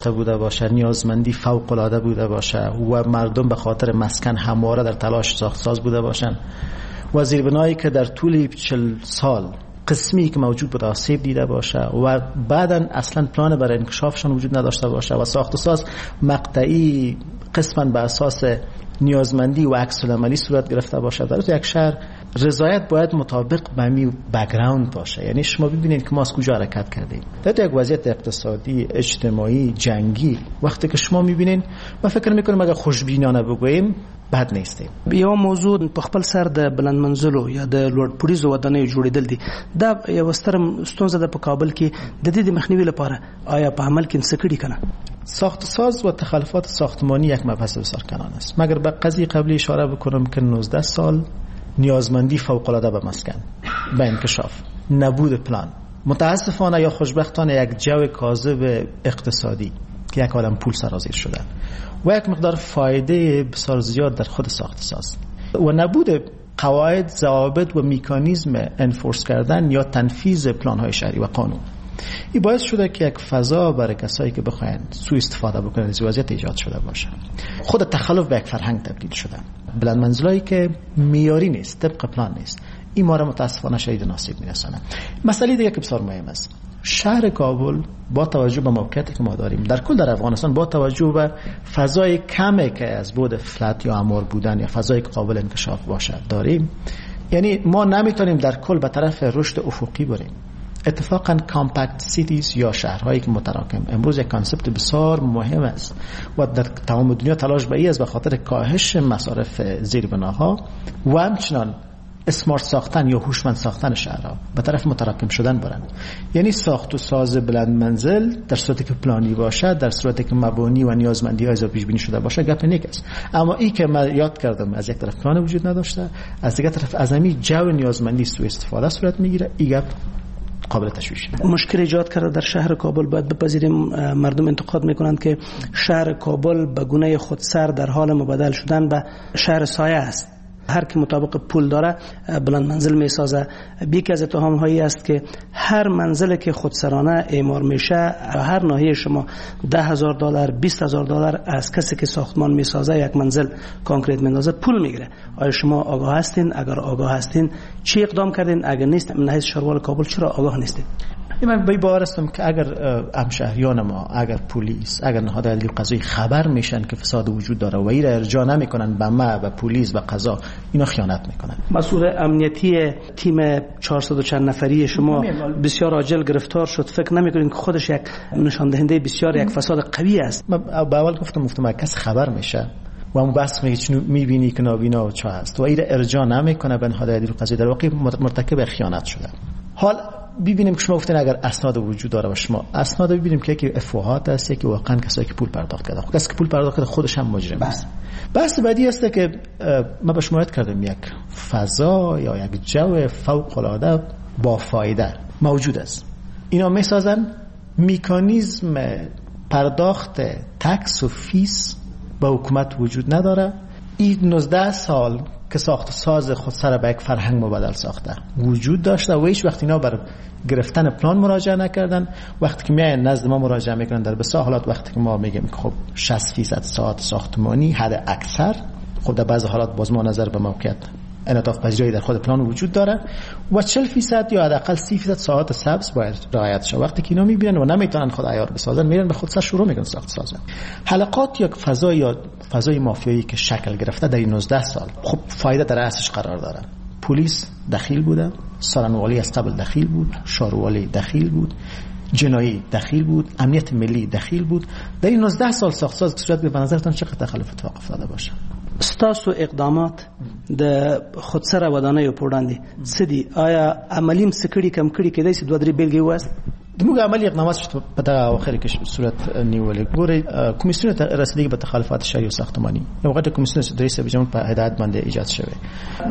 بوده باشه، نیازمندی فوق العاده بوده باشه و مردم به خاطر مسکن همواره در تلاش ساخت ساز بوده باشن و زیربنایی که در طول 40 سال قسمی که موجود بوده آسیب دیده باشه و بعداً اصلا پلان برای انکشافشان وجود نداشته باشه و ساخت و ساز مقطعی قسما به اساس نیازمندی و عکس العملی صورت گرفته باشه، در یک شهر رضایت باید مطابق به می background باشه. یعنی شما ببینید که ما از کجا حرکت کردیم در یک وضعیت اقتصادی، اجتماعی، جنگی. وقتی که شما میبینین، ما فکر میکنم اگر خوشبینانه بگوییم بد نیستیم. یو موضوع په خپل سر د بلند منزلو یا د لوړ پوړیزو ودانیو جوړېدل دي. دا یو ستره ستونزه ده په کابل کې. د دې د مخنیوي لپاره آیا په عمل کې څه کړي کنه؟ ساخت ساز و تخلفات ساختمانی یک مبحث بسیار کلان است. مگر به قضیه قبلی اشاره بکنم که 19 سال نیازمندی فوق العاده به مسکن، به انکشاف، نبود پلان، متاسفانه یا خوشبختانه یک جو کاذب اقتصادی که یک عالم پول سرازیر شده و یک مقدار فایده بسیار زیاد در خود ساخت ساز و نبود قواعد، ضوابط و میکانیزم enforce کردن یا تنفیذ پلان های شهری و قانون، این باعث شده که یک فضا برای کسایی که بخواین سوء استفاده بکنن از وضعیت ایجاد شده باشه. خود تخلف به یک فرهنگ تبدیل شده. بلند منزلایی که معیاری نیست، طبق پلان نیست، این ما را متاسفانه شدید نصیب میرسانه. مسئله دیگه که بسیار مهم است، شهر کابل با توجه به موقعیتی که ما داریم در کل در افغانستان، با توجه به فضای کمی که از بود فلت یا امار بودن یا فضای که قابل انکشاف باشد داریم، یعنی ما نمیتونیم در کل به طرف رشد افقی بریم. اتفاقا compact cities یا شهرهایی که متراکم امروز یک concept بسیار مهم است و در تمام دنیا تلاش به این است به خاطر کاهش مصارف زیربناها و همچنان smart ساختن یا هوشمند ساختن شهرها به طرف متراکم شدن برند. یعنی ساخت و ساز بلند منزل در صورتی که پلانی باشد، در صورتی که مبانی و نیازمندی های پیش بینی شده باشه، گپ نیک است. اما این که من یاد کردم، از یک طرف پلان وجود نداشته، از دیگر طرف از همین جو نیازمندی سوء استفاده صورت میگیره، این گپ قابل تشویش. مشکل ایجاد کرده در شهر کابل. باید بپذیریم مردم انتقاد میکنند که شهر کابل به گونه خودسر در حال مبدل شدن به شهر سایه است. هر کی مطابق پول داره بلند منزل میسازه. یکی از اتهام هایی است که هر منزل که خودسرانه اعمار میشه، هر ناحیه شما $10,000 $20,000 از کسی که ساختمان میسازه یک منزل concrete میندازه پول میگیره. آیا شما آگاه هستین؟ اگر آگاه هستین چی اقدام کردین؟ اگر نیست، من حیث شهروال کابل چرا آگاه نیستین؟ من به باور هستم که اگر همشهریان ما، اگر پلیس، اگر نهاد عدلی و قضایی خبر میشن که فساد وجود داره و این را ارجاع نمیکنن به ما، به پلیس، به قضا، اینا خیانت میکنن. مسئول امنیتی تیم 400 و چند نفری شما بسیار عاجل گرفتار شد. فکر نمیکنین که خودش یک نشان دهنده بسیار یک فساد قوی است؟ من به اول گفتم کس خبر میشه و اون بس میگه میبینی که نابینا و چه هست و این را ارجاع نمیکنه به نهاد عدلی و قضایی، در واقع مرتکب خیانت شده. حال ببینیم که شما گفتین اگر اسناد وجود داره و شما اسناد ببینیم که یکی افواهات است، یکی واقعا کسایی که پول پرداخت کرده. خب کسی که پول پرداخت کرده خودش هم مجرم است. بحث بعدی است که ما به شما یاد کردم یک فضا یا یک جو فوق العاده با فایده موجود است. اینا میسازن میکانیزم پرداخت tax و fees به حکومت وجود نداره. این 19 سال که ساخت ساز خودسر به یک فرهنگ مبدل ساخته وجود داشته و هیچ وقت اینا بر گرفتن پلان مراجعه نکردن. وقتی که میاین نزد ما مراجعه میکنن در بسیار حالات وقتی که ما میگیم که خب 60% ساعت ساختمانی حد اکثر، خب در بعض حالات باز ما نظر به موقعیت انعطاف پذیری در خود پلان وجود داره و 40% یا حداقل 30% ساعت سبز باید رعایت شه. وقتی که اینا میبینن و نمیتونن خود عیار بسازن، میرن به خود سر شروع میکنن ساخت سازن. حلقات یک فضای یا فضای مافیایی که شکل گرفته در 19 سال، خب فایده در رأسش قرار داره. پلیس دخیل بوده، سارنوالی از قبل دخیل بود، شاروالی دخیل بود، جنایی دخیل بود، امنیت ملی دخیل بود. در این 19 سال ساخت ساز صورت به نظرتان چقدر تخلف اتفاق افتاده باشه؟ ستاسو اقدامات د خودسره ودانیو په وړاندې څه دي؟ آیا عملي هم څه کړي کم کړي کېدای شي؟ دوه درې بېلګې ووایاست. د موږ عملي اقدامات چې په دغه اواخر کې صورت نیولې، ګورئ کمیسیون ته رسیدگی به تخلفات شهری و ساختمانی یو غټه کمیسیون چې د رئیس جمهور په هدایت باندې ایجاد شوی،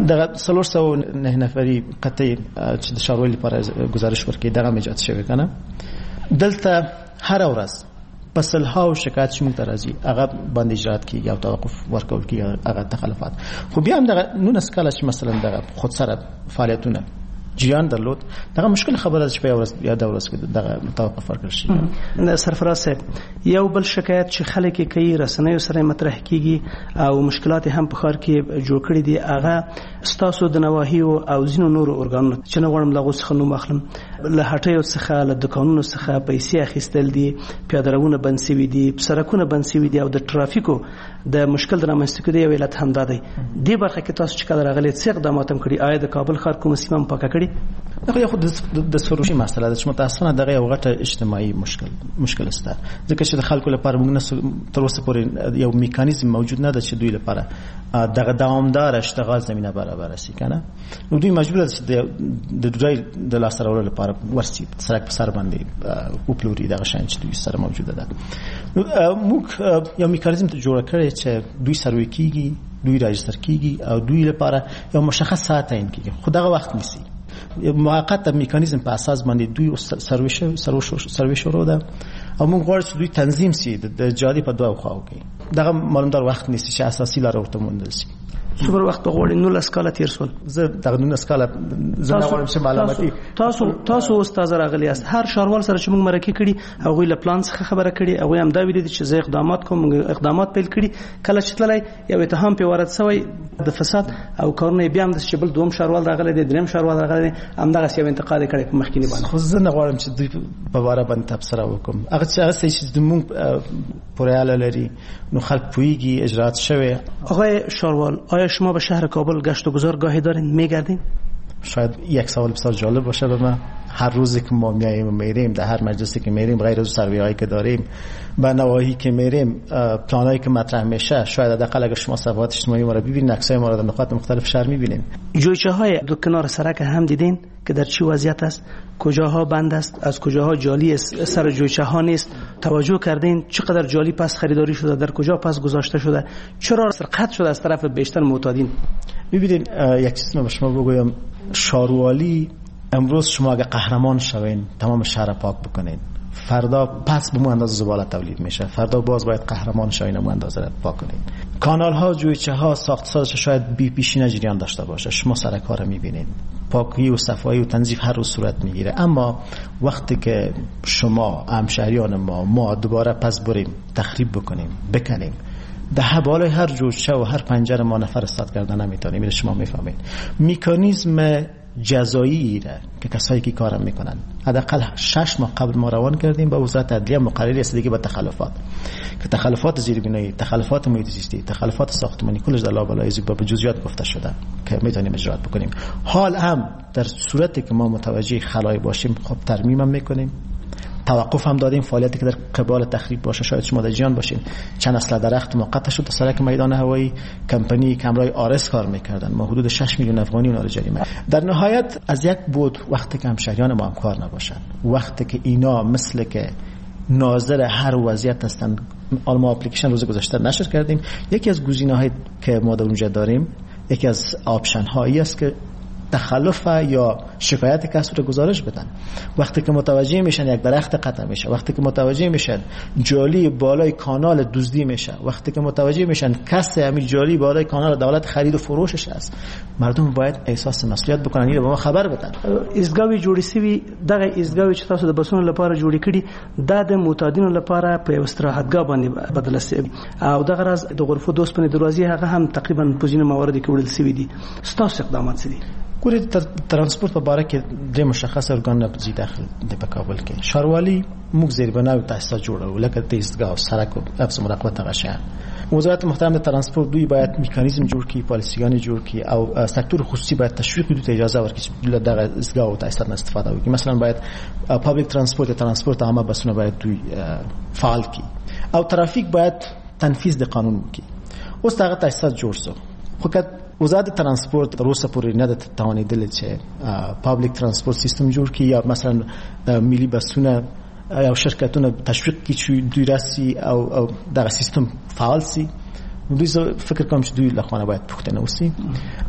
دغه 309 نفري قطعي چې د ښاروالي لپاره گزارش ورکړي دغه ایجاد شوی کنه. دلته هر ورځ په سلهاو شکایت چې موږ ته راځي هغه باندې اجرات کیږي او توقف ورکول کیږي هغه تخلفات. خو بیا هم دغه 19 کاله چې مثلا دغه خودسره فعالیتونه جریان درلود. دغه مشکل خبره چې په ورځ یا د ورځ کې دغه توقف ورکړل شي. سرفراز صاحب، یو بل شکایت چې خلک یې کوي، رسنیو سره مطرح کیږي او مشکلات هم په ښار کې جوړ کړي دي، هغه ستاسو د نواحیو او ځینو نورو ارګانونو چې نه غواړم له هغو څخه نوم واخلم، له هټیو څخه، له دوکانونو څخه پیسې اخیستل دي، پیاده روونه بند شوي دي، سړکونه بند شوي دي او د ترافیکو د مشکل د رامنځته کېدو یو علت هم دا دی. دې برخه کې تاسو چې کله راغلي څه اقدامات هم کړي؟ آیا د کابل ښار کومه سیمه هم پاکه کړې؟ دغه خو د سروشي مسله ده چې متاسفانه دغه یو غټه اجتماعي مشکل است، ځکه چې د خلکو لپاره موږ نه تر اوسه پورې یو میکانیزم موجود نه ده چې دوی لپاره دغه دوامدار اشتغال زمینه برابر شي کنه. نو دوی مجبور دي چې د ډوډۍ د لاسته راوړلو لپاره ورسي سړک په سر باندې وپلوري دغه شیان چې دوی سره موجوده ده. نو موږ یو میکانیزم ته جوړ کړی چې دوی سروي کیږي، دوی راجستر کیږي او دوی لپاره یو مشخص ساعت تعین کیږي، خو دغه وخت نیسي. موقت میکانیزم په اساس باندې دوی سروي شروع ده او موږ غواړو چې دوی تنظیم سي د جادې په دوه خواو کې. دغه معلومدار وخت نیسي چې اساسي لار ورته موندل شي. څومره وخت غواړي؟ 19 کاله تیر شول. زه دغه 19 کاله زه نه غواړم چې معلوماتي تاسو اوس تازه راغلي یاست. هر شاروال سره چې موږ مرکه کړي هغوی له پلان څخه خبره کړي، هغوی هم دا ویلي دي چې زه اقدامات کوم، موږ اقدامات پیل کړي. کله چې تللی یو اتهام پې وارد شوی د فساد او کارونه بیا هم داسې چې بل دوم شاروال راغلی دی، دریم شاروال راغلی دی، همدغسې یو انتقاد یې کړی په مخکیني باندې. خو زه نه غواړم چې دوی په باره باندې تبصره وکړم. هغه څه چې زموږ پورې اړه لري نو خلک پوهیږي، اجرات شوی. آقای شاروال، آیا شما به شهر کابل گشت و گذار گاهی دارین؟ میگردین؟ شاید یک سوال بسیار جالب باشه به من. هر روزی که ما میاییم و میریم، در هر مجلسی که میریم، غیر از سروی هایی که داریم، به نواحی که میریم، پلان هایی که مطرح میشه، شاید حداقل اگر شما صفحات اجتماعی ما رو ببینید، عکسای ما رو در نقاط مختلف شهر میبینید. جویچه های دو کنار سرک هم دیدین که در چی وضعیت است، کجاها بند است، از کجاها جالی است، سر جویچه ها نیست. توجه کردین چقدر جالی پس خریداری شده، در کجا پس گذاشته شده، چرا سرقت شده از طرف بیشتر معتادین؟ ببینید، یک چیز من به شما بگویم، شاروالی امروز شما اگه قهرمان شوین تمام شهر پاک بکنین، فردا پس به مو اندازه زباله تولید میشه، فردا باز باید قهرمان شوین مو اندازه را پاک کنین. کانال ها، جویچه ها، ساخت سازش شاید بی پیشینه جریان داشته باشه، شما سرک ها رو میبینین، پاکی و صفایی و تنظیف هر روز صورت میگیره. اما وقتی که شما همشهریان ما دوباره پس بریم تخریب بکنیم، بکنیم، ده بالای هر جوچه و هر پنجره ما نفر استاد کردن نمیتونیم. اینو شما میفهمید. میکانیزم جزایی را که کسایی که کارم میکنن حداقل 6 ماه قبل ما روان کردیم با وزارت عدلیه مقرر رسیدگی به تخلفات، که تخلفات زیربنایی، تخلفات محیط زیستی، تخلفات ساختمانی کلش در لابلای با جزئیات گفته شده که میتونیم اجرات بکنیم. حال هم در صورتی که ما متوجه خلای باشیم خب ترمیم هم میکنیم، توقف هم دادیم فعالیتی که در قبال تخریب باشه. شاید شما در جیان باشین، چند اصل درخت موقت شد در سرک میدان هوایی، کمپانی کمرای آرس کار میکردن، ما حدود 6 میلیون افغانی اونها رو جریمه. در نهایت از یک بود وقتی که همشهریان ما همکار نباشن، وقتی که اینا مثل که ناظر هر وضعیت هستن، ما اپلیکیشن روز گذشته نشر کردیم، یکی از گزینه‌هایی که ما در اونجا داریم، یکی از option هایی است که تخلف یا شکایت کس رو گزارش بدن. وقتی که متوجه میشن یک درخت قطع میشه، وقتی که متوجه میشن جالی بالای کانال دزدی میشه، وقتی که متوجه میشن کس همین جالی بالای کانال دولت خرید و فروشش است، مردم باید احساس مسئولیت بکنن، اینو به ما خبر بدن. ایستګاوې جوړې شوي، دغه ایستګاوې چې تاسو د بسونو لپاره جوړې کړي، دا د معتادینو لپاره په یو استراحتګاه باندې بدله شوې او دغه راز د غرفو د اوسپنې دروازې هغه هم تقریبا په ځینو مواردو کې وړل شوي دي. ستاسو اقدامات څه دي؟ ګورئ، ترانسپورت په باره کې درې مشخص ارګانونه ذی دخل دي په کابل کې. شاروالی موږ زیربنا او تاسیسات جوړو، لکه د ایستګاه، سرک و حفظ مراقبت دغه شیان. وزارت محترم د ترانسپورت دوی باید میکانیزم جوړ کړي، پالیسیګانې جوړ کړي او سکتور خصوصي باید تشویق کړي، دوی ته اجازه ورکړي چې له دغه ایستګاه او تاسیسات نه استفاده وکړي. مثلا باید public transport، ترانسپورت عامه بسونه باید دوی فعال کړي او ترافیک باید تنفیذ د قانون وکړي. اوس دغه تاسیسات جوړ سو، خو که وزارت ترانسپورت تر اوسه پورې نه ده توانېدلې چې public transport system جوړ کړي یا مثلا ملي بسونه او شرکتونه تشویق کړي چې دوی راسي او دغه سیستم فعال سي. دوی فکر کوم چې دوی له خوا باید پوښتنه وشي.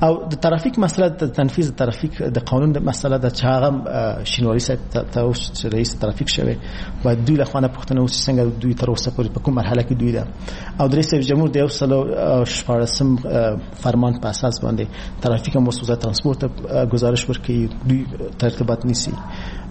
او د ترافیک مسله، د تنفیذ ترافیک د قانون د مسله ده چې هغه شینواری صاحب ته اوس چې رئیس ترافیک شوی، باید دوی له خوا پوښتنه وشي څنګه دوی تر اوسه پورې په کوم مرحله کې دوی ده. او د رئیس جمهور د 116 فرمان په اساس باندې ترافیک هم اوس وزارت ترانسپورت ته گزارش ورکوي، دوی ترتیبات نیسي.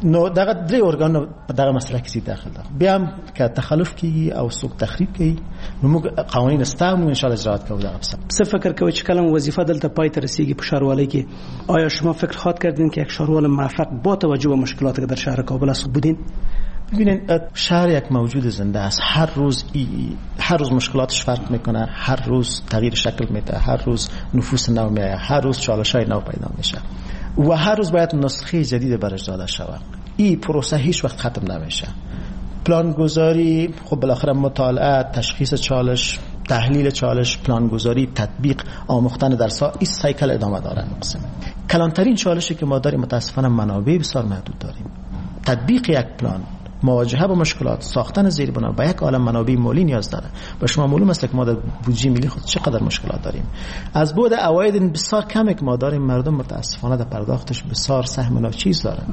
نو دغه درې ارګان په دغه مسله کې داخل ده. بیا هم که تخلف کیږي او څوک تخریب کوي نو موږ قوانین سته، موږ ان شاء الله اجرات کوو. دغه څه فکر کوئ چې کله وظیفه دلته پای ته رسیږي په شهروالۍ کې، آیا شما فکر خواهد کردین که یک شهروال موفق با توجه به مشکلاتی که در شهر کابل است بودین؟ ببینید، شهر یک موجود زنده است. هر روز مشکلاتش فرق میکنه، هر روز تغییر شکل میده، هر روز نفوس نو میاد، هر روز چالش‌های نو پیدا میشه و هر روز باید نسخه جدید برش داده شود. این پروسه هیچ وقت ختم نمیشه. پلانگذاری، خب بالاخره مطالعه، تشخیص چالش، تحلیل چالش، پلانگذاری، تطبیق، آموختن درس‌ها، این سایکل ادامه داره. قسم کلانترین چالشی که ما داریم متاسفانه منابع بسیار محدود داریم. تطبیق یک پلان، مواجهه با مشکلات، ساختن زیربنا با یک عالم منابع مالی نیاز داره. و شما معلوم است که ما در بودجه ملی خود چقدر مشکلات داریم. از بعد عواید بسیار کمی که ما داریم، مردم متاسفانه در پرداختش بسیار سهم ناچیز دارن.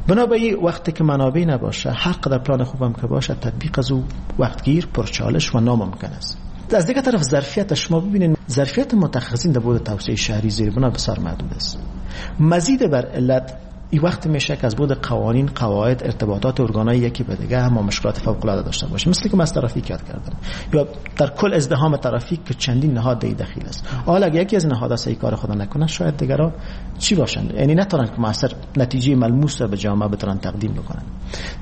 بنابراین وقتی که منابع نباشه، هر قدر پلان خوبم که باشه، تطبیق از او وقتگیر، پرچالش و ناممکن است. از دیگر طرف ظرفیت شما ببینید، ظرفیت متخصصین در بعد توسعه شهری زیربنا بسیار محدود است. مزید بر علت این وقت میشه که از بود قوانین، قواعد، ارتباطات ارگانای یکی به دیگه هم مشکلات فوق العاده داشته باشه، مثل که من از ترافیک یاد کردم، یا در کل ازدحام ترافیک که چندین نهاد دخیل است. حالا اگه یکی از نهادها صحیح کار خود نکنه، شاید دیگرا چی باشن، یعنی نتونن که موثر نتیجه ملموس را به جامعه بتونن تقدیم بکنن.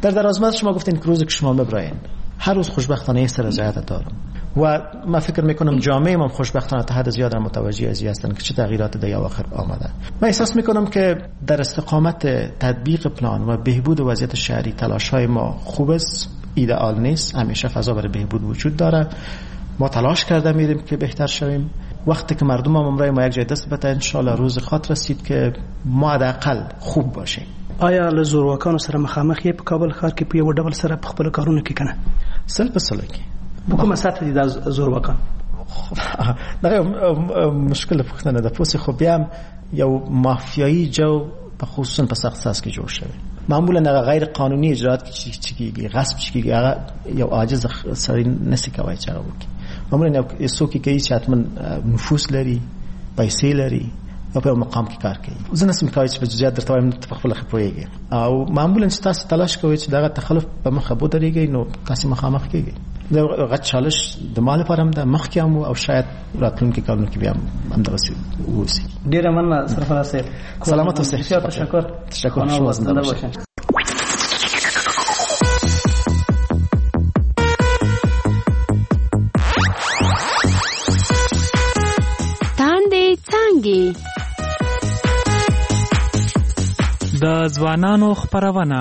در درازمد شما گفتین که روزی که شما ببراین، هر روز خوشبختانه یه سر رضایت دارم و من فکر میکنم جامعه ما خوشبختانه تا حد زیاد متوجه از این هستن که چه تغییرات در اواخر آمده. من احساس میکنم که در استقامت تطبیق پلان و بهبود وضعیت شهری تلاش های ما خوب است، ایدئال نیست، همیشه فضا برای بهبود وجود داره. ما تلاش کرده میریم که بهتر شویم. وقتی که مردم هم امرای ما یک جای دست بده، ان شاء الله روز خاطر رسید که ما حداقل خوب باشیم. آیا له زورواکانو سره مخامخ یې په کابل ښار کې په یو ډول سره په خپلو کارونو کې کنه؟ سل په سل کې. په کومه سطح دي دا زورواکان؟ دغه مشکل پوښتنه ده. پوسې خو بیا یو مافیایی جو په خصوصا په سخت ساز کې جوړ شوی. معمولا هغه غیر قانوني اجرات چې کیږي، غصب چې کیږي، هغه یو عاجز سړی نسی کوي چې هغه وکړي. معمولا یو څوک کوي چې حتما نفوذ لري، پیسې لري او په مقام کې کار کوي. زه نسم کوي چې په جزئیات درته وایم، ته په خپله ښه پوهېږې. او معمولا چې تاسو تلاش کوئ چې دغه تخلف په مخه ودرېږئ، نو تاسو مخامخ کېږئ. دا غټ چالش د ما لپاره هم ده، مخکې هم او شاید راتلونکي کالونو کې بیا هم همدغسې واوسي. ډېره مننه سرفراز صاحب، سلامت اوسئ. بسیار تشکر. تشکر، شما زنده باشئ. تاندې څانګې د ځوانانو خپرونه.